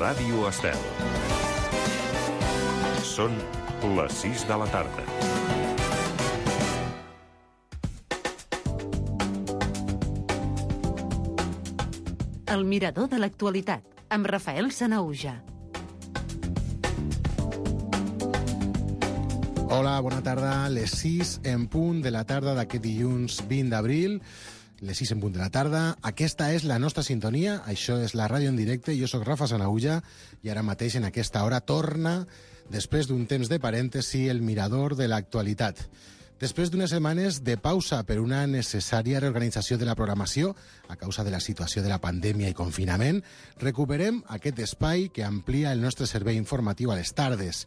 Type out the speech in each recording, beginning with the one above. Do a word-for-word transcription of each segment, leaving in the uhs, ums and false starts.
Ràdio Estel. Són les sis de la tarda. El mirador de l'actualitat, amb Rafael Sanahuja. Hola, bona tarda. Les sis en punt de la tarda d'aquest dilluns vint d'abril. Les sis en punt de la tarda. Aquesta és la nostra sintonia. Això és la ràdio en directe. Jo sóc Rafa Sanahuja i ara mateix en aquesta hora torna, després d'un temps de parèntesi, el mirador de l'actualitat. Després d'unes setmanes de pausa per una necessària reorganització de la programació a causa de la situació de la pandèmia i confinament, recuperem aquest espai que amplia el nostre servei informatiu a les tardes.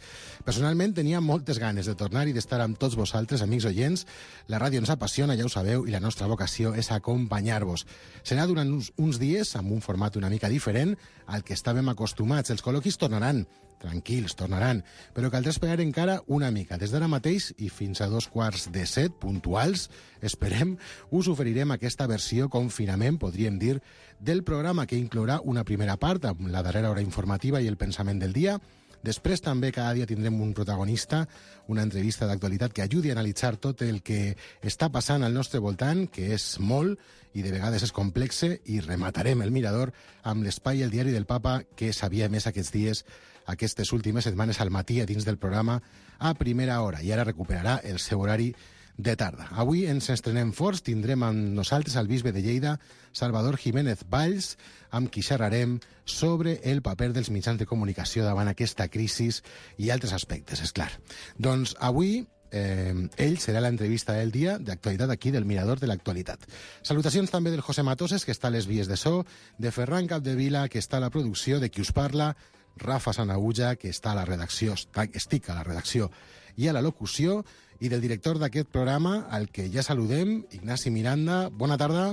Personalment tenia moltes ganes de tornar i d'estar amb tots vosaltres, amics oients. La ràdio ens apassiona, ja ho sabeu, i la nostra vocació és acompanyar-vos. Serà durant uns, uns dies amb un format una mica diferent al que estàvem acostumats. Els col·loquis tornaran, tranquils, tornaran, però caldrà esperar encara una mica. Des d'ara mateix i fins a dos quarts de set, puntuals, esperem, us oferirem aquesta versió confinament, podríem dir, del programa que inclourà una primera part, amb la darrera hora informativa i el pensament del dia. Després també cada dia tindrem un protagonista, una entrevista d'actualitat que ajudi a analitzar tot el que està passant al nostre voltant, que és molt i de vegades és complexe, i rematarem el mirador amb l'espai El diari del Papa, que sabia més aquests dies, aquestes últimes setmanes al matí a dins del programa a primera hora, i ara recuperarà el seu horari de tarda. Avui ens estrenem forts, tindrem amb nosaltres el bisbe de Lleida, Salvador Jiménez Valls, amb qui xerrarem sobre el paper dels mitjans de comunicació davant aquesta crisi i altres aspectes, és clar. Doncs avui eh, ell serà l'entrevista del dia d'actualitat aquí del Mirador de l'Actualitat. Salutacions també del José Matoses, que està a les vies de so, de Ferran Capdevila, que està a la producció, de qui us parla, Rafa Sanahuja, que està a la redacció, estic a la redacció i a la locució, i del director d'aquest programa, al que ja saludem, Ignasi Miranda. Bona tarda.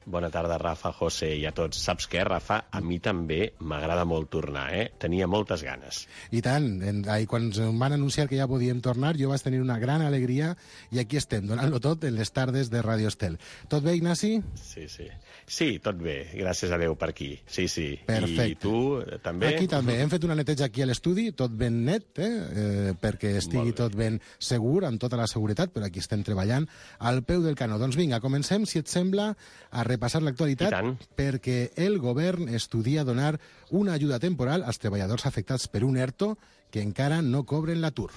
Bona tarda, Rafa, José i a tots. Saps què, Rafa? A mi també m'agrada molt tornar, eh? Tenia moltes ganes. I tant. I quan ens van anunciar que ja podíem tornar, jo vaig tenir una gran alegria i aquí estem, donant-lo tot en les tardes de Ràdio Estel. Tot bé, Ignasi? Sí, sí. Sí, tot bé. Gràcies a Déu per aquí. Sí, sí. Perfecte. I tu, també? Aquí també. Hem fet una neteja aquí a l'estudi, tot ben net, eh? eh perquè estigui tot ben segur, amb tota la seguretat, però aquí estem treballant al peu del canó. Doncs vinga, comencem, si et sembla, a repassar l'actualitat, perquè el govern estudia donar una ajuda temporal als treballadors afectats per un ERTO que encara no cobren l'atur.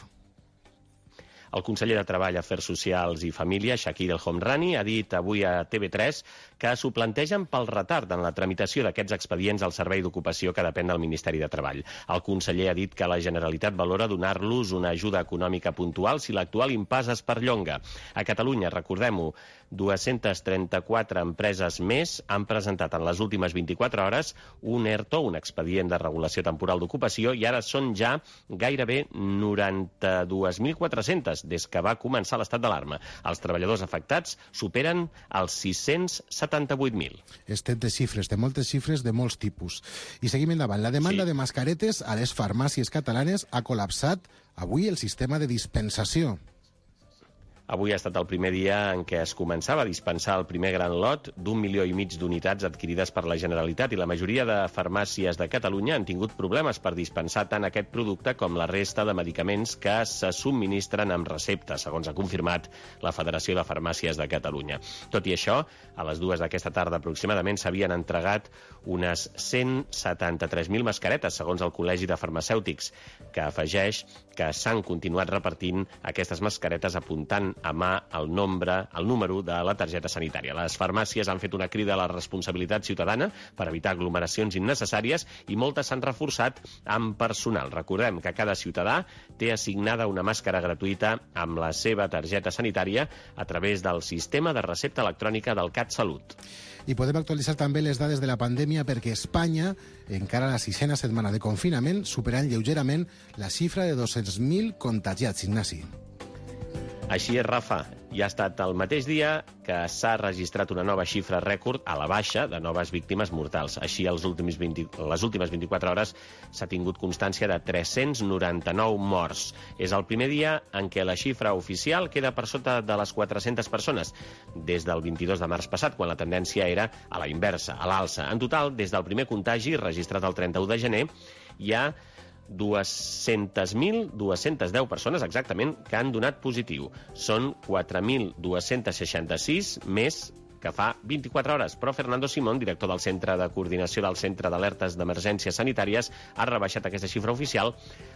El conseller de Treball, Afers Socials i Família, Shakir El Homrani, ha dit avui a T V tres que s'ho plantegen pel retard en la tramitació d'aquests expedients al Servei d'Ocupació que depèn del Ministeri de Treball. El conseller ha dit que la Generalitat valora donar-los una ajuda econòmica puntual si l'actual impàs es perllonga. A Catalunya, recordem-ho, dues-centes trenta-quatre empreses més han presentat en les últimes vint-i-quatre hores un ERTO, un expedient de regulació temporal d'ocupació, i ara són ja gairebé noranta-dues mil quatre-centes des que va començar l'estat d'alarma. Els treballadors afectats superen els sis-cents setanta-vuit mil. Estem de xifres, de moltes xifres, de molts tipus. I seguim endavant. La demanda sí. de mascaretes a les farmàcies catalanes ha col·lapsat avui el sistema de dispensació. Avui ha estat el primer dia en què es començava a dispensar el primer gran lot d'un milió i mig d'unitats adquirides per la Generalitat, i la majoria de farmàcies de Catalunya han tingut problemes per dispensar tant aquest producte com la resta de medicaments que se subministren amb recepta, segons ha confirmat la Federació de Farmàcies de Catalunya. Tot i això, a les dues d'aquesta tarda aproximadament s'havien entregat unes cent setanta-tres mil mascaretes, segons el Col·legi de Farmacèutics, que afegeix que s'han continuat repartint aquestes mascaretes apuntant a mà el nombre, el número de la targeta sanitària. Les farmàcies han fet una crida a la responsabilitat ciutadana per evitar aglomeracions innecessàries i moltes s'han reforçat amb personal. Recordem que cada ciutadà té assignada una màscara gratuïta amb la seva targeta sanitària a través del sistema de recepta electrònica del CatSalut. I podem actualitzar també les dades de la pandèmia perquè Espanya, encara a la sisena setmana de confinament, superant lleugerament la xifra de dos-cents mil contagiats, Ignasi. Així és, Rafa. I ha estat el mateix dia que s'ha registrat una nova xifra rècord a la baixa de noves víctimes mortals. Així, els últims vint, les últimes vint-i-quatre hores s'ha tingut constància de tres-cents noranta-nou morts. És el primer dia en què la xifra oficial queda per sota de les quatre-centes persones, des del vint-i-dos de març passat, quan la tendència era a la inversa, a l'alça. En total, des del primer contagi, registrat el trenta-u de gener, hi ha dues-centes mil dues-centes deu persones exactament que han donat positiu. Són quatre mil dos-cents seixanta-sis més que fa vint-i-quatre hores. Però Fernando Simón, director del Centre de Coordinació del Centre d'Alertes d'Emergències Sanitàries, ha rebaixat aquesta xifra oficial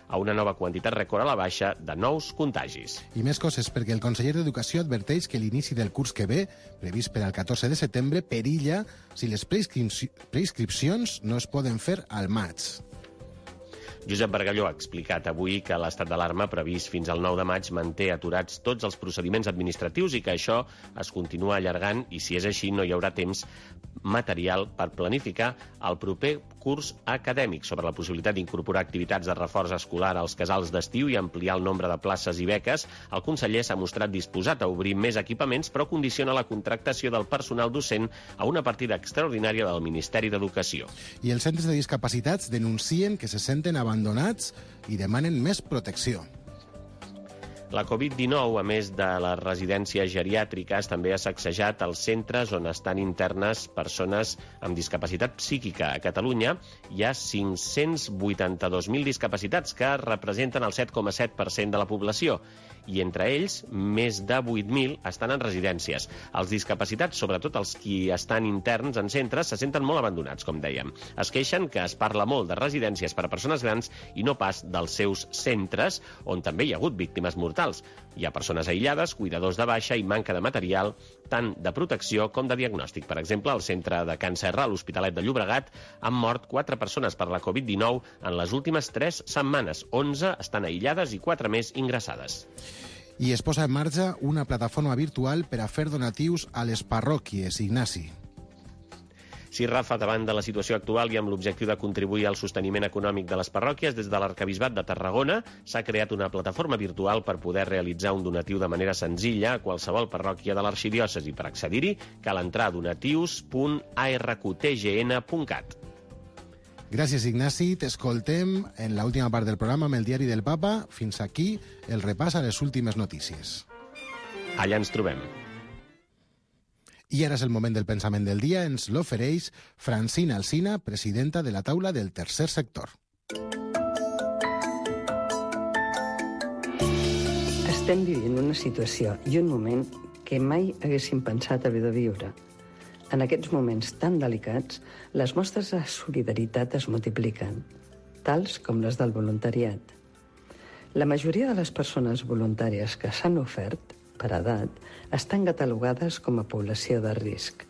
a una nova quantitat rècord a la baixa de nous contagis. I més coses, perquè el conseller d'Educació adverteix que l'inici del curs que ve, previst per al catorze de setembre, perilla si les prescripci- prescripcions no es poden fer al maig. Josep Bargalló ha explicat avui que l'estat d'alarma previst fins al nou de maig manté aturats tots els procediments administratius i que això es continua allargant i, si és així, no hi haurà temps material per planificar el proper curs acadèmic. Sobre la possibilitat d'incorporar activitats de reforç escolar als casals d'estiu i ampliar el nombre de places i beques, el conseller s'ha mostrat disposat a obrir més equipaments, però condiciona la contractació del personal docent a una partida extraordinària del Ministeri d'Educació. I els centres de discapacitats denuncien que se senten abandonats i demanen més protecció. La covid dinou, a més de les residències geriàtriques, també ha sacsejat els centres on estan internes persones amb discapacitat psíquica. A Catalunya hi ha cinc-cents vuitanta-dos mil discapacitats, que representen el set coma set per cent de la població, i entre ells, més de vuit mil estan en residències. Els discapacitats, sobretot els qui estan interns en centres, se senten molt abandonats, com dèiem. Es queixen que es parla molt de residències per a persones grans i no pas dels seus centres, on també hi ha hagut víctimes mortals. Hi ha persones aïllades, cuidadors de baixa i manca de material, tant de protecció com de diagnòstic. Per exemple, al centre de Can Serra, a l'Hospitalet de Llobregat, han mort quatre persones per la covid dinou en les últimes tres setmanes. onze estan aïllades i quatre més ingressades. I es posa en marxa una plataforma virtual per a fer donatius a les parròquies, Ignasi. Sí, Rafa, davant de la situació actual i amb l'objectiu de contribuir al sosteniment econòmic de les parròquies, des de l'Arquebisbat de Tarragona s'ha creat una plataforma virtual per poder realitzar un donatiu de manera senzilla a qualsevol parròquia de l'arxidiòcesi. Per accedir-hi cal entrar a donatius punt a r q t g n punt cat. Gràcies, Ignasi. T'escoltem en l'última part del programa amb el Diari del Papa. Fins aquí el repàs a les últimes notícies. Allà ens trobem. I ara és el moment del pensament del dia. Ens l'ofereix Francina Alsina, presidenta de la taula del tercer sector. Estem vivint una situació i un moment que mai haguéssim pensat haver de viure. En aquests moments tan delicats, les mostres de solidaritat es multipliquen, tals com les del voluntariat. La majoria de les persones voluntàries que s'han ofert, per edat, estan catalogades com a població de risc.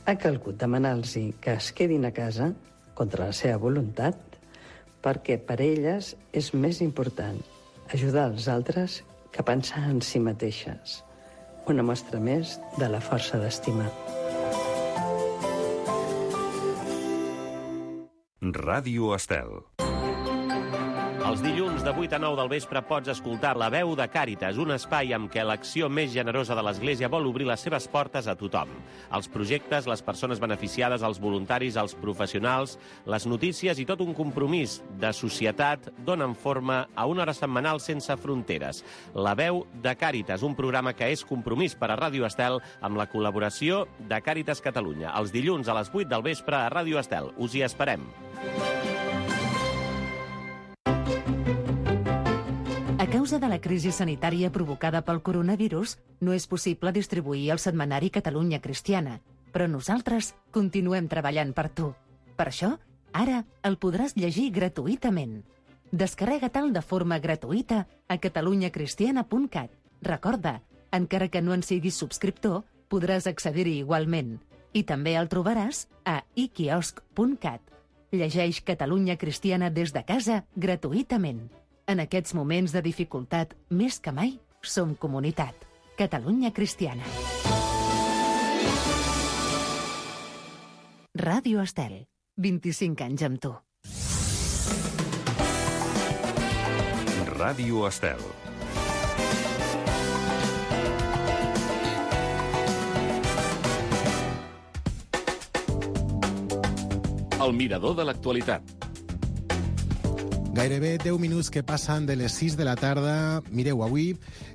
Ha calgut demanar-los que es quedin a casa, contra la seva voluntat, perquè per elles és més important ajudar els altres que pensar en si mateixes. Una mostra més de la força d'estimar. Ràdio Estel. Els dilluns de vuit a nou del vespre pots escoltar La Veu de Càritas, un espai amb què l'acció més generosa de l'Església vol obrir les seves portes a tothom. Els projectes, les persones beneficiades, els voluntaris, els professionals, les notícies i tot un compromís de societat donen forma a una hora setmanal sense fronteres. La Veu de Càritas, un programa que és compromís per a Ràdio Estel amb la col·laboració de Càritas Catalunya. Els dilluns a les vuit del vespre a Ràdio Estel. Us hi esperem. A causa de la crisi sanitària provocada pel coronavirus, no és possible distribuir el setmanari Catalunya Cristiana, però nosaltres continuem treballant per tu. Per això, ara el podràs llegir gratuïtament. Descarrega-te'l de forma gratuïta a catalunya cristiana punt cat. Recorda, encara que no en siguis subscriptor, podràs accedir-hi igualment. I també el trobaràs a i quiosc punt cat. Llegeix Catalunya Cristiana des de casa gratuïtament. En aquests moments de dificultat, més que mai, som comunitat. Catalunya Cristiana. Ràdio Estel. vint-i-cinc anys amb tu. Ràdio Estel. El mirador de l'actualitat. Gairebé deu minuts que passen de les sis de la tarda. Mireu, avui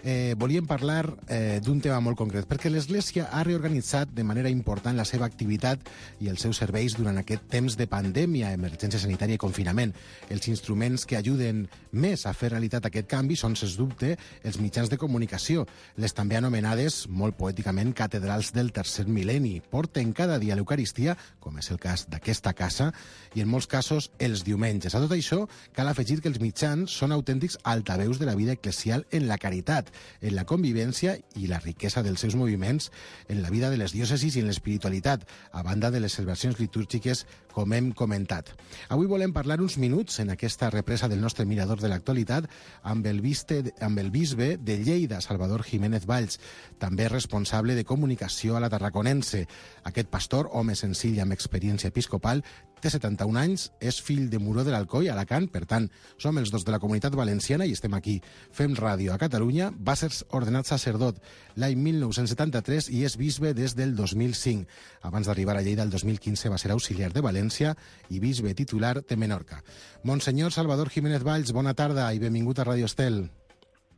eh, volíem parlar eh, d'un tema molt concret, perquè l'Església ha reorganitzat de manera important la seva activitat i els seus serveis durant aquest temps de pandèmia, emergència sanitària i confinament. Els instruments que ajuden més a fer realitat aquest canvi són, sens dubte, els mitjans de comunicació, les també anomenades, molt poèticament, catedrals del tercer mil·lenni. Porten cada dia l'Eucaristia, com és el cas d'aquesta casa, i en molts casos els diumenges. A tot això, cal afegir que els mitjans són autèntics altaveus de la vida eclesial en la caritat, en la convivència i la riquesa dels seus moviments en la vida de les diòcesis i en l'espiritualitat, a banda de les celebracions litúrgiques, com hem comentat. Avui volem parlar uns minuts en aquesta represa del nostre mirador de l'actualitat amb el, viste, amb el bisbe de Lleida, Salvador Jiménez Valls, també responsable de comunicació a la Tarraconense. Aquest pastor, home senzill amb experiència episcopal, té setanta-un anys, és fill de Muró de l'Alcoi, a Alacant, per tant, som els dos de la comunitat valenciana i estem aquí. Fem ràdio a Catalunya. Va ser ordenat sacerdot l'any mil nou-cents setanta-tres i és bisbe des del dos mil cinc. Abans d'arribar a Lleida el dos mil quinze va ser auxiliar de València i bisbe titular de Menorca. Monsenyor Salvador Jiménez Valls, bona tarda i benvingut a Ràdio Estel.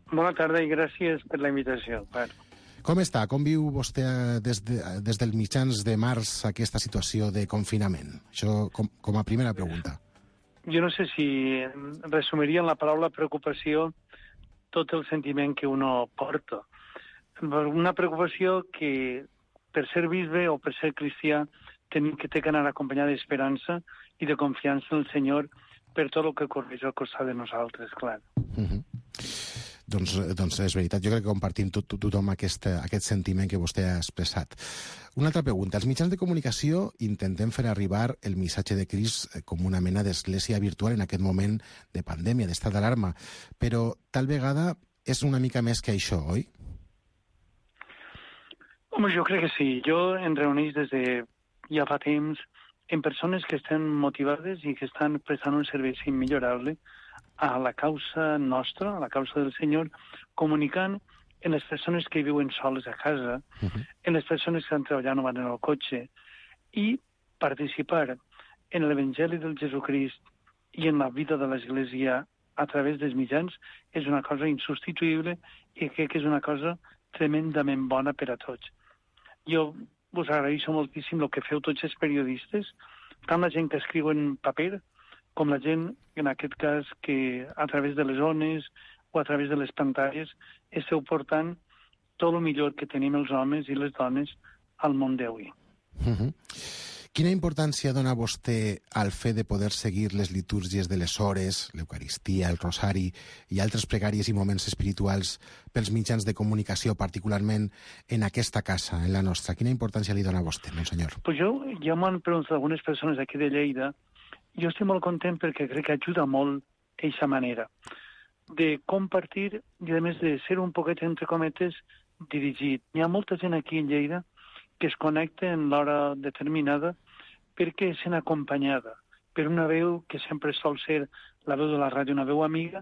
Bona tarda i gràcies per la invitació. Bueno. Com està? Com viu vostè des, de, des dels mitjans de març aquesta situació de confinament? Això com, com a primera pregunta. Jo no sé si resumiria en la paraula preocupació tot el sentiment que uno porta. Una preocupació que per ser bisbe o per ser cristià tenim que té que anar acompanyada d'esperança i de confiança en el Senyor per tot el que correix al costat de nosaltres, clar. Uh-huh. Doncs, doncs és veritat, jo crec que compartim tot, tot, tothom aquest, aquest sentiment que vostè ha expressat. Una altra pregunta. Els mitjans de comunicació intentem fer arribar el missatge de Crist com una mena d'església virtual en aquest moment de pandèmia, d'estat d'alarma, però tal vegada és una mica més que això, oi? Home, jo crec que sí. Jo em reuneix des de ja fa temps en persones que estan motivades i que estan prestant un servei immillorable a la causa nostra, a la causa del Senyor, comunicant en les persones que viuen soles a casa, uh-huh. en les persones que estan treballant o van en el cotxe, i participar en l'Evangeli del Jesucrist i en la vida de l'Església a través dels mitjans és una cosa insubstituïble i crec que és una cosa tremendament bona per a tots. Jo us agraeixo moltíssim el que feu tots els periodistes, tant la gent que escriu en paper com la gent, en aquest cas, que a través de les ones o a través de les pantalles esteu portant tot el millor que tenim els homes i les dones al món d'avui. Uh-huh. Quina importància dona vostè al fet de poder seguir les litúrgies de les hores, l'Eucaristia, el Rosari i altres pregàries i moments espirituals pels mitjans de comunicació, particularment en aquesta casa, en la nostra? Quina importància li dona a vostè, monsenyor? Pues jo, ja m'han preguntat algunes persones aquí de Lleida. Jo estic molt content perquè crec que ajuda molt aquesta manera de compartir i, a més, de ser un poquet, entre cometes, dirigit. Hi ha molta gent aquí en Lleida que es connecta en l'hora determinada perquè sent acompanyada per una veu que sempre sol ser la veu de la ràdio, una veu amiga,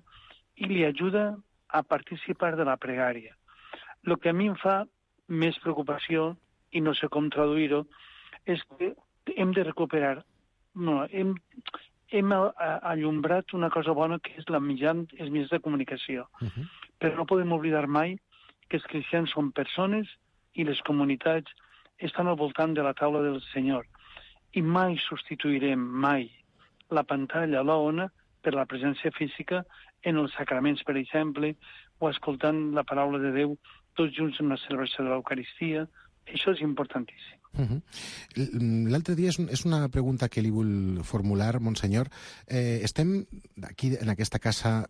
i li ajuda a participar de la pregària. El que a mi em fa més preocupació, i no sé com traduir-ho, és que hem de recuperar No, hem, hem allumbrat una cosa bona que és la mitjan, els mitjans de comunicació. Uh-huh. Però no podem oblidar mai que els cristians són persones i les comunitats estan al voltant de la taula del Senyor. I mai substituirem, mai, la pantalla, la ona, per la presència física en els sacraments, per exemple, o escoltant la paraula de Déu tots junts en la celebració de l'Eucaristia. Això és importantíssim. Uh-huh. L'altre dia és, és una pregunta que li vull formular, monsenyor. Eh, estem aquí en aquesta casa,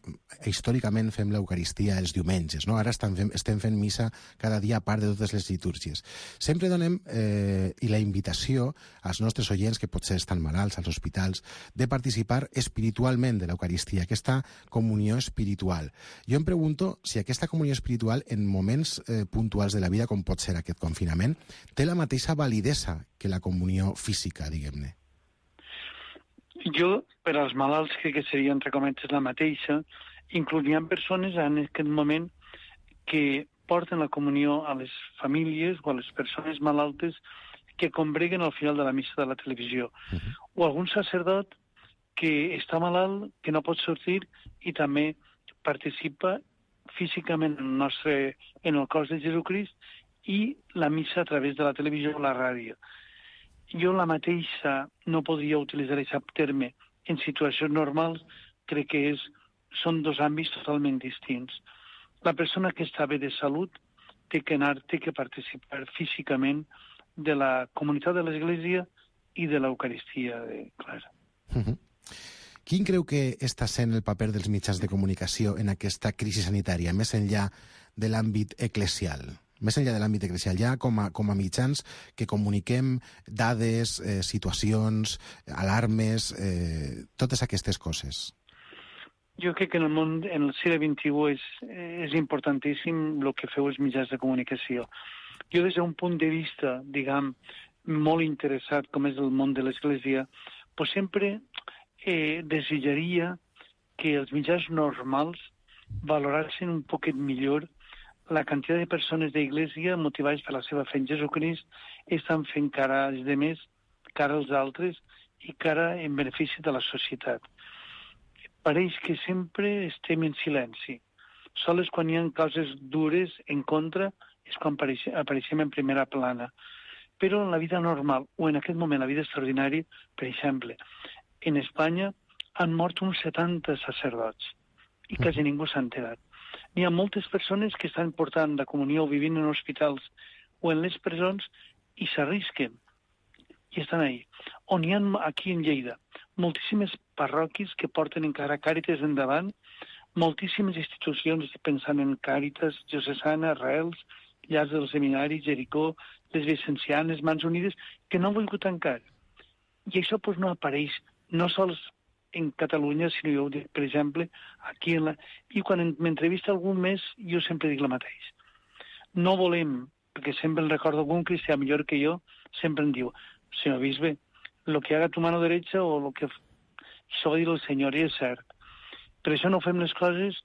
històricament fem l'Eucaristia els diumenges, no? Ara estem fent, estem fent missa cada dia a part de totes les litúrgies. Sempre donem eh, i la invitació als nostres oients, que potser estan malalts als hospitals, de participar espiritualment de l'Eucaristia, aquesta comunió espiritual. Jo em pregunto si aquesta comunió espiritual en moments eh, puntuals de la vida, com pot ser aquest confinament, té la mateixa validesa que la comunió física, diguem-ne. Jo, per als malalts, crec que seria, entre cometes, la mateixa. Incluiria persones en aquest moment que porten la comunió a les famílies o a les persones malaltes que combreguen al final de la missa de la televisió. Uh-huh. O algun sacerdot que està malalt, que no pot sortir i també participa físicament en el, nostre, en el cos de Jesucrist i la missa a través de la televisió o la ràdio. Jo la mateixa no podria utilitzar aquest terme en situacions normals, crec que és, són dos àmbits totalment distints. La persona que està bé de salut té que anar, té que participar físicament de la comunitat de l'Església i de l'Eucaristia, de Clara. Uh-huh. Quin creu que està sent el paper dels mitjans de comunicació en aquesta crisi sanitària, més enllà de l'àmbit eclesial? Més enllà de l'àmbit eclesial, ja com a, com a mitjans que comuniquem dades, eh, situacions, alarmes, eh, totes aquestes coses. Jo crec que en el món, en el segle vint-i-u, és, és importantíssim el que feu els mitjans de comunicació. Jo, des d'un punt de vista, diguem, molt interessat, com és el món de l'Església, pues sempre eh, desitjaria que els mitjans normals valorassin un poquet millor la quantitat de persones d'Església motivades per la seva fe en Jesucrist estan fent cara als demés, cara als altres i cara en benefici de la societat. Pareix que sempre estem en silenci. Sols quan hi ha coses dures en contra és quan apareixem en primera plana. Però en la vida normal, o en aquest moment la vida extraordinària, per exemple, en Espanya han mort uns setanta sacerdots i quasi ningú s'ha enterat. Hi ha moltes persones que estan portant la comunió o vivint en hospitals o en les presons i s'arrisquen i estan ahí. On hi ha aquí en Lleida moltíssimes parròquies que porten encara Càritas endavant, moltíssimes institucions pensant en Càritas, Diocesana, Arrels, Llars del Seminari, Jericó, les Vicencianes, Mans Unides, que no han volgut tancar. I això pues, no apareix, no sols en Catalunya, sinó jo ho dic, per exemple, aquí en la... I quan m'entrevista algun mes, jo sempre dic el mateix. No volem, perquè sempre el recordo algun cristià millor que jo, sempre em diu, senyor bisbe, lo que haga tu mano derecha o lo que... Això va dir el senyor, i és cert. Per això no fem les coses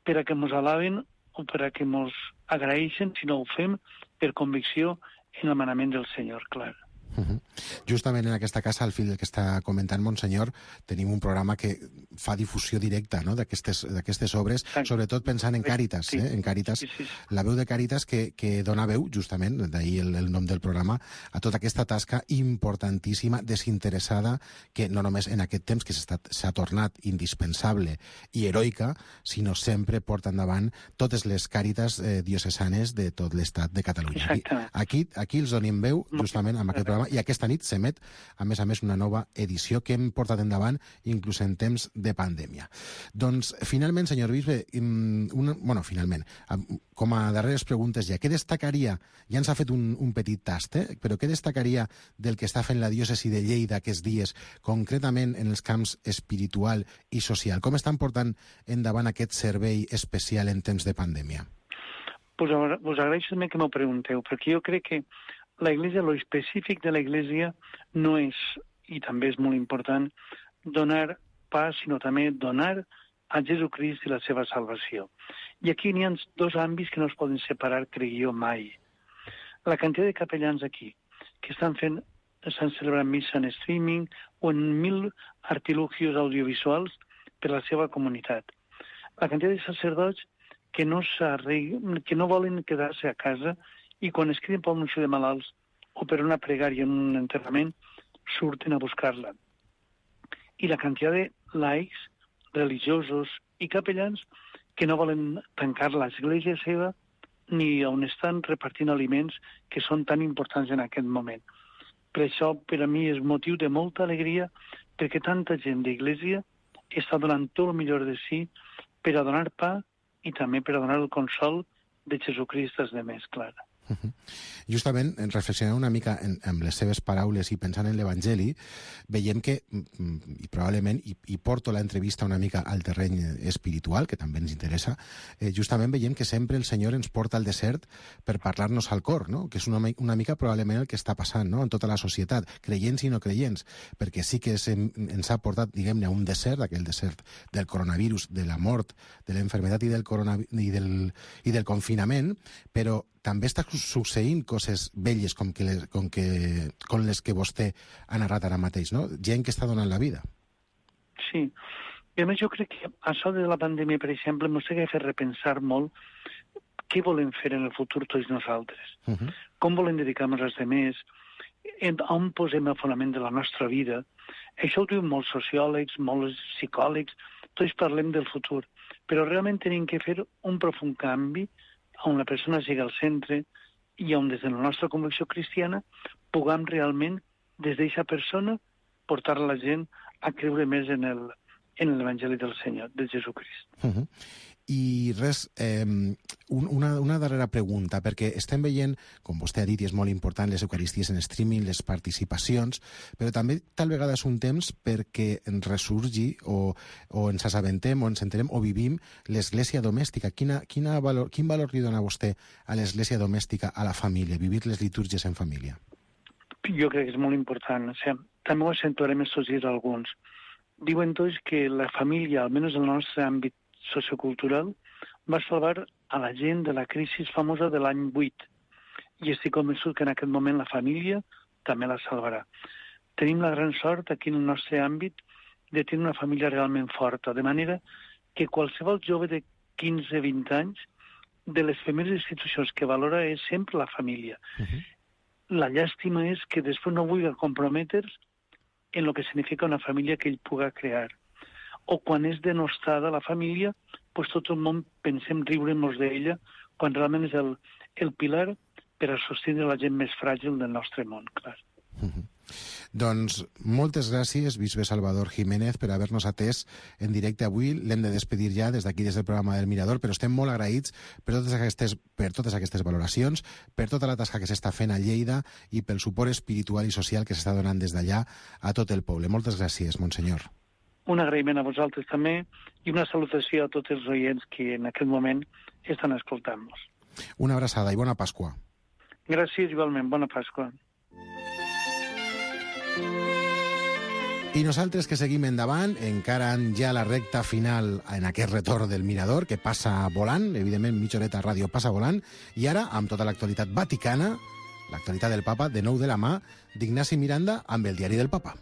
per a que ens alaben o per a que ens agraeixen, sinó ho fem per convicció en el manament del Senyor, clar. Uh-huh. Justament en aquesta casa, al fil del que està comentant Monsenyor, tenim un programa que fa difusió directa, no?, d'aquestes d'aquestes obres, Exacte. Sobretot pensant en Càritas, sí. eh? en Càritas, sí, sí, sí. La veu de Càritas que, que dona veu, justament, d'ahir el, el nom del programa, a tota aquesta tasca importantíssima, desinteressada, que no només en aquest temps que s'ha tornat indispensable i heroica, sinó sempre porta endavant totes les Càritas eh, diocesanes de tot l'estat de Catalunya. Aquí, aquí els donem veu, justament, amb aquest programa, i aquesta nit s'emet, a més a més, una nova edició que hem portat endavant inclús en temps de pandèmia. Doncs, finalment, senyor bisbe, una, bueno, finalment, com a darreres preguntes ja, què destacaria, ja ens ha fet un, un petit tast, eh? però què destacaria del que està fent la diòcesi de Lleida aquests dies, concretament en els camps espiritual i social? Com estan portant endavant aquest servei especial en temps de pandèmia? Pues us agraeixo també que m'ho pregunteu, perquè jo crec que la Iglesia, lo específic de la Iglesia no és, i també és molt important, donar pa, sinó també donar a Jesucrist i la seva salvació. I aquí n'hi ha dos àmbits que no es poden separar, crec jo, mai. La quantitat de capellans aquí, que estan fent, estan celebrant missa en streaming o en mil artilugios audiovisuals per a la seva comunitat. La quantitat de sacerdots que no, que no volen quedar-se a casa i quan es criden per l'anunci de malalts o per una pregària en un enterrament, surten a buscar-la. I la quantitat de laics, religiosos i capellans que no volen tancar l'església seva ni on estan repartint aliments que són tan importants en aquest moment. Per això, per a mi, és motiu de molta alegria perquè tanta gent d'església està donant tot el millor de si per a donar pa i també per a donar el consol de Jesucrist als demés, clar. Uh-huh. Justament, reflexionant una mica en, en les seves paraules i pensant en l'Evangeli, veiem que, i probablement, i, i porto l'entrevista una mica al terreny espiritual, que també ens interessa, eh, justament veiem que sempre el Senyor ens porta al desert per parlar-nos al cor, no? Que és una, una mica probablement el que està passant, no?, en tota la societat, creients i no creients, perquè sí que se, ens ha portat, diguem-ne, a un desert, aquell desert del coronavirus, de la mort, de l'enfermedat i del, i del, i del confinament, però també està succeint coses velles com, que les, com, que, com les que vostè ha narrat ara mateix, no? Gent que està donant la vida. Sí. I a més jo crec que això de la pandèmia, per exemple, ens ha de fer repensar molt què volem fer en el futur tots nosaltres. Uh -huh. Com volem dedicar-nos als altres, on posem el fonament de la nostra vida. Això ho diuen molts sociòlegs, molts psicòlegs, tots parlem del futur, però realment tenim que fer un profund canvi on la persona sigui al centre i on des de la nostra convicció cristiana puguem realment, des d'aquesta persona, portar la gent a creure més en el en l'Evangeli del Senyor, de Jesucrist. Uh -huh. I res, eh, una, una darrera pregunta, perquè estem veient, com vostè ha dit, i és molt important, les eucaristies en streaming, les participacions, però també tal vegada és un temps perquè ens ressurgi o, o ens assabentem o ens enterem o vivim l'església domèstica. Quina, quina valor, quin valor li dona vostè a l'església domèstica, a la família, vivir les litúrgies en família? Jo crec que és molt important. O sigui, també ho accentuarem estos dies alguns. Diuen tots que la família, almenys en el nostre àmbit sociocultural, va salvar a la gent de la crisi famosa de l'any vuit. I estic convençut que en aquest moment la família també la salvarà. Tenim la gran sort aquí en el nostre àmbit de tenir una família realment forta, de manera que qualsevol jove de quinze a vint anys, de les primeres institucions que valora és sempre la família. Uh-huh. La llàstima és que després no vulgui comprometre's en el que significa una família que ell puga crear. O quan és denostada la família, pues tot el món pensem riure-nos d'ella, quan realment és el, el pilar per a sostindre la gent més fràgil del nostre món, clar. Uh-huh. Doncs moltes gràcies, bisbe Salvador Jiménez, per haver-nos atès en directe avui. L'hem de despedir ja des d'aquí, des del programa del Mirador, però estem molt agraïts per totes aquestes, per totes aquestes valoracions, per tota la tasca que s'està fent a Lleida i pel suport espiritual i social que s'està donant des d'allà a tot el poble. Moltes gràcies, monsenyor. Un agraïment a vosaltres també i una salutació a tots els oients que en aquest moment estan escoltant-nos. Una abraçada i bona Pasqua. Gràcies, igualment. Bona Pasqua. I nosaltres que seguim endavant, encara ja la recta final en aquest retorn del Mirador, que passa volant, evidentment mitja horeta ràdio passa volant, i ara, amb tota l'actualitat vaticana, l'actualitat del papa, de nou de la mà d'Ignasi Miranda amb el diari del papa.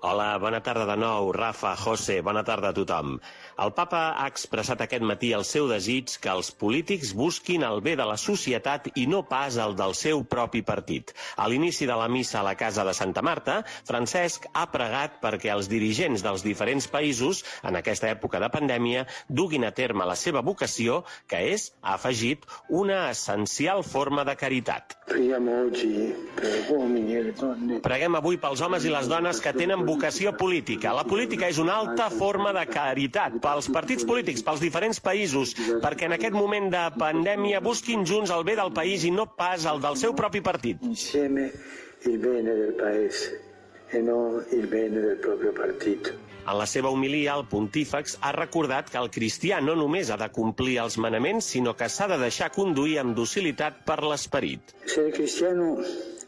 Hola, bona tarda de nou, Rafa, José, bona tarda a tothom. El papa ha expressat aquest matí el seu desig que els polítics busquin el bé de la societat i no pas el del seu propi partit. A l'inici de la missa a la casa de Santa Marta, Francesc ha pregat perquè els dirigents dels diferents països, en aquesta època de pandèmia, duguin a terme la seva vocació, que és, ha afegit, una essencial forma de caritat. Preguem avui pels homes i les dones que tenen vocació política. La política és una alta forma de caritat pels partits polítics, pels diferents països, perquè en aquest moment de pandèmia busquin junts el bé del país i no pas el del seu propi partit. Insieme il bene del paese e no il bene del proprio partito. En la seva homilia, el pontífex ha recordat que el cristià no només ha de complir els manaments, sinó que s'ha de deixar conduir amb docilitat per l'esperit. Ser cristiano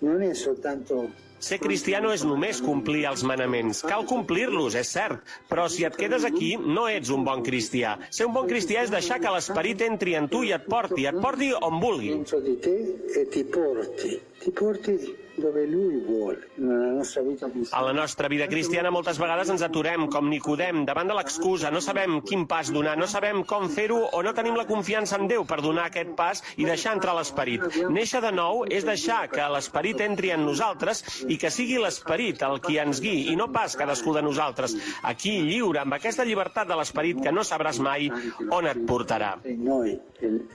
non è soltanto... Ser cristià no és només complir els manaments. Cal complir-los, és cert, però si et quedes aquí, no ets un bon cristià. Ser un bon cristià és deixar que l'esperit entri en tu i et porti, et porti on vulgui. Dentro di te e ti porti, ti porti dove lui vuole. Nella nostra vita cristiana. A la nostra vida cristiana moltes vegades ens aturem, com Nicodem, davant de l'excusa. No sabem quin pas donar, no sabem com fer-ho o no tenim la confiança en Déu per donar aquest pas i deixar entrar l'esperit. Néixer de nou és deixar que l'esperit entri en nosaltres i que sigui l'esperit el qui ens guiï i no pas cadascú de nosaltres. Aquí, lliure, amb aquesta llibertat de l'esperit que no sabràs mai on et portarà. Noi,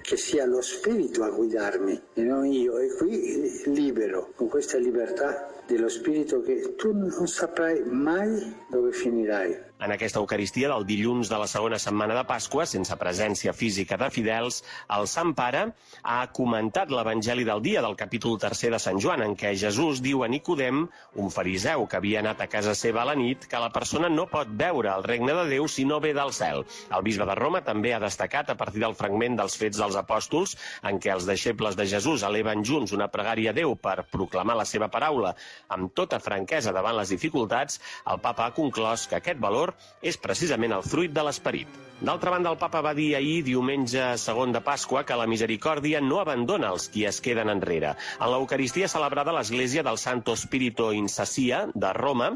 que sia lo spirito a guidarmi e non io, e qui libero, con questa libertà dello spirito che tu non saprai mai dove finirai. En aquesta Eucaristia del dilluns de la segona setmana de Pasqua, sense presència física de fidels, el Sant Pare ha comentat l'Evangeli del dia del capítol tercer de Sant Joan, en què Jesús diu a Nicodem, un fariseu que havia anat a casa seva a la nit, que la persona no pot veure el regne de Déu si no ve del cel. El bisbe de Roma també ha destacat, a partir del fragment dels Fets dels Apòstols, en què els deixebles de Jesús eleven junts una pregària a Déu per proclamar la seva paraula. Amb tota franquesa davant les dificultats, el papa ha conclòs que aquest valor és precisament el fruit de l'esperit. D'altra banda, el papa va dir ahir, diumenge segon de Pasqua, que la misericòrdia no abandona els qui es queden enrere. En l'Eucaristia celebrada a l'església del Santo Spirito in Sassia de Roma,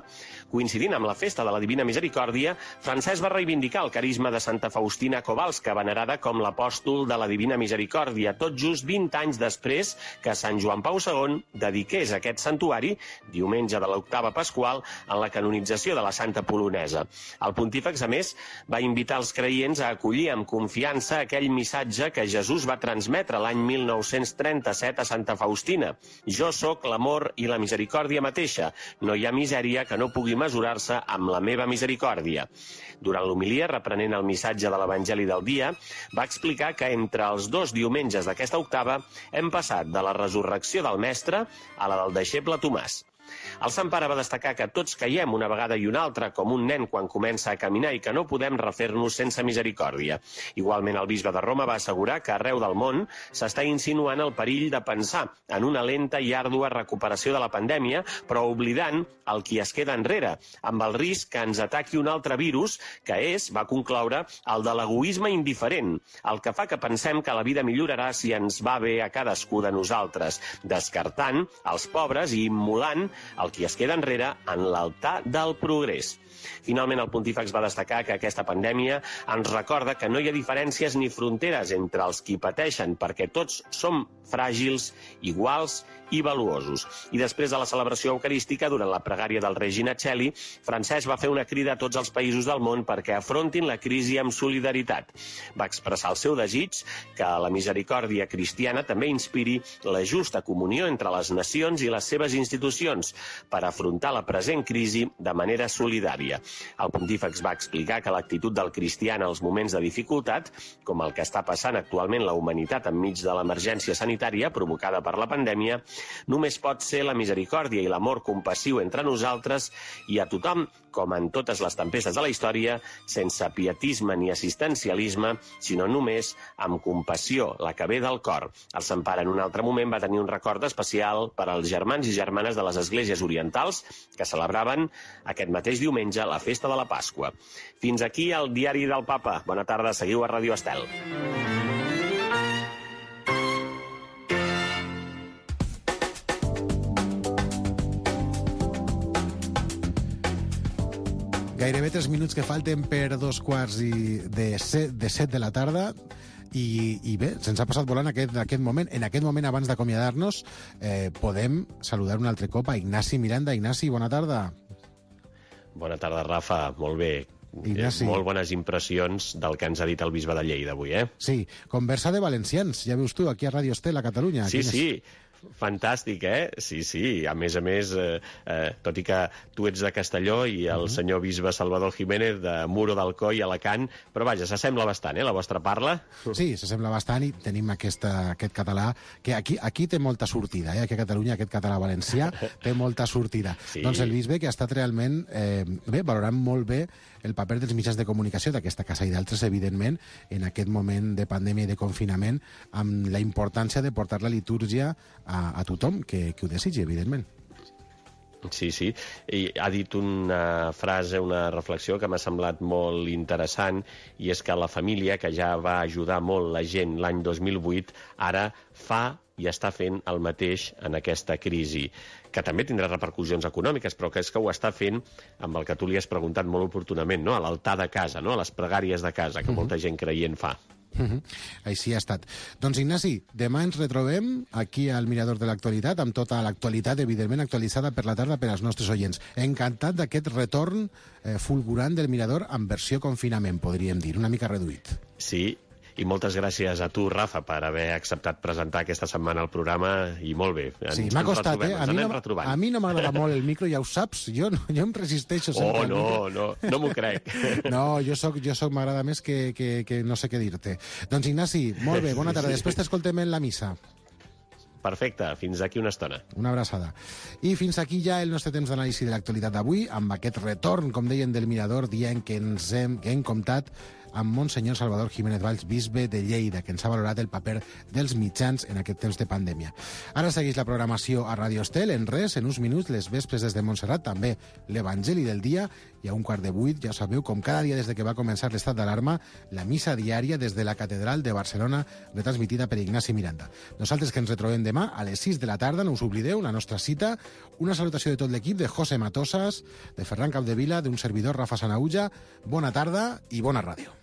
coincidint amb la festa de la Divina Misericòrdia, Francesc va reivindicar el carisma de Santa Faustina Kowalska, venerada com l'apòstol de la Divina Misericòrdia, tot just vint anys després que Sant Joan Pau segon dediqués aquest santuari, diumenge de l'octava pasqual, en la canonització de la Santa Polonesa. El pontífex, a més, va invitar els creients a acollir amb confiança aquell missatge que Jesús va transmetre l'any mil nou-cents trenta-set a Santa Faustina. Jo sóc l'amor i la misericòrdia mateixa. No hi ha misèria que no pugui mesurar-se amb la meva misericòrdia. Durant l'homilia, reprenent el missatge de l'Evangeli del dia, va explicar que entre els dos diumenges d'aquesta octava hem passat de la resurrecció del Mestre a la del deixeble Tomàs. El Sant Pare va destacar que tots caiem una vegada i una altra com un nen quan comença a caminar i que no podem refer-nos sense misericòrdia. Igualment, el bisbe de Roma va assegurar que arreu del món s'està insinuant el perill de pensar en una lenta i àrdua recuperació de la pandèmia, però oblidant el qui es queda enrere, amb el risc que ens ataqui un altre virus, que és, va concloure, el de l'egoisme indiferent, el que fa que pensem que la vida millorarà si ens va bé a cadascú de nosaltres, descartant els pobres i immolant el qui es queda enrere en l'altar del progrés. Finalment, el pontífex va destacar que aquesta pandèmia ens recorda que no hi ha diferències ni fronteres entre els qui pateixen, perquè tots som fràgils, iguals i valuosos. I després de la celebració eucarística, durant la pregària del Regina Coeli, Francesc va fer una crida a tots els països del món perquè afrontin la crisi amb solidaritat. Va expressar el seu desig que la misericòrdia cristiana també inspiri la justa comunió entre les nacions i les seves institucions per afrontar la present crisi de manera solidària. El pontífex va explicar que l'actitud del cristià en els moments de dificultat, com el que està passant actualment la humanitat enmig de l'emergència sanitària provocada per la pandèmia, només pot ser la misericòrdia i l'amor compassiu entre nosaltres i a tothom, com en totes les tempestes de la història, sense pietisme ni assistencialisme, sinó només amb compassió, la que ve del cor. El Sant Pare en un altre moment va tenir un record especial per als germans i germanes de les esglésies orientals que celebraven aquest mateix diumenge la festa de la Pasqua. Fins aquí el diari del Papa. Bona tarda, seguiu a Ràdio Estel. Gairebé tres minuts que falten per dos quarts i de set de, set de la tarda i, i bé, se'ns ha passat volant aquest, aquest moment. En aquest moment, abans d'acomiadar-nos, eh, podem saludar un altre cop a Ignasi Miranda. Ignasi, bona tarda. Bona tarda, Rafa. Molt bé. Ignasi. Molt bones impressions del que ens ha dit el bisbe de Lleida avui, eh? Sí, conversa de valencians, ja veus tu, aquí a Ràdio Estel, a Catalunya. Sí, Quines... sí. Fantàstic, eh? Sí, sí. A més a més, eh, eh, tot i que tu ets de Castelló i el uh -huh. senyor bisbe Salvador Jiménez de Muro d'Alcoi, Alacant, però vaja, s'assembla bastant, eh, la vostra parla? Sí, s'assembla bastant i tenim aquesta, aquest català, que aquí, aquí té molta sortida, eh? Aquí a Catalunya aquest català valencià té molta sortida. Sí. Doncs el bisbe que ha estat realment, eh, bé, valorant molt bé el paper dels mitjans de comunicació d'aquesta casa i d'altres, evidentment, en aquest moment de pandèmia i de confinament, amb la importància de portar la litúrgia a, a tothom que, que ho desitgi, evidentment. Sí, sí. I ha dit una frase, una reflexió que m'ha semblat molt interessant, i és que la família, que ja va ajudar molt la gent l'any dos mil vuit, ara fa i està fent el mateix en aquesta crisi, que també tindrà repercussions econòmiques, però que és que ho està fent amb el que tu li has preguntat molt oportunament, no? A l'altar de casa, no? A les pregàries de casa, que uh-huh. molta gent creient fa. Uh-huh. Així ha estat. Doncs, Ignasi, demà ens retrobem aquí al Mirador de l'Actualitat, amb tota l'actualitat, evidentment, actualitzada per la tarda per als nostres oients. Encantat d'aquest retorn eh, fulgurant del Mirador en versió confinament, podríem dir, una mica reduït. Sí, i moltes gràcies a tu, Rafa, per haver acceptat presentar aquesta setmana el programa, i molt bé. Ens, sí, m'ha costat, eh? A mi, no, retrobant. a mi no m'agrada molt el micro, ja ho saps, jo, no, jo em resisteixo sempre. Oh, no, no, no m'ho crec. No, jo soc, jo soc m'agrada més que, que, que no sé què dir-te. Doncs, Ignasi, molt bé, bona tarda. Sí. Després t'escoltem en la missa. Perfecte, fins aquí una estona. Una abraçada. I fins aquí ja el nostre temps d'anàlisi de l'actualitat d'avui, amb aquest retorn, com deien, del Mirador, dient que ens hem, que hem comptat amb Monsenyor Salvador Jiménez Valls, bisbe de Lleida, que ens ha valorat el paper dels mitjans en aquest temps de pandèmia. Ara segueix la programació a Radio Estel. En res, en uns minuts, les vespres des de Montserrat, també l'Evangeli del dia, i a un quart de vuit, ja sabeu, com cada dia des de que va començar l'estat d'alarma, la missa diària des de la Catedral de Barcelona, retransmitida per Ignasi Miranda. Nosaltres que ens retrobem demà a les sis de la tarda, no us oblideu, la nostra cita, una salutació de tot l'equip, de José Matosas, de Ferran Capdevila, d'un servidor, Rafa Sanaulla. Bona tarda i bona ràdio.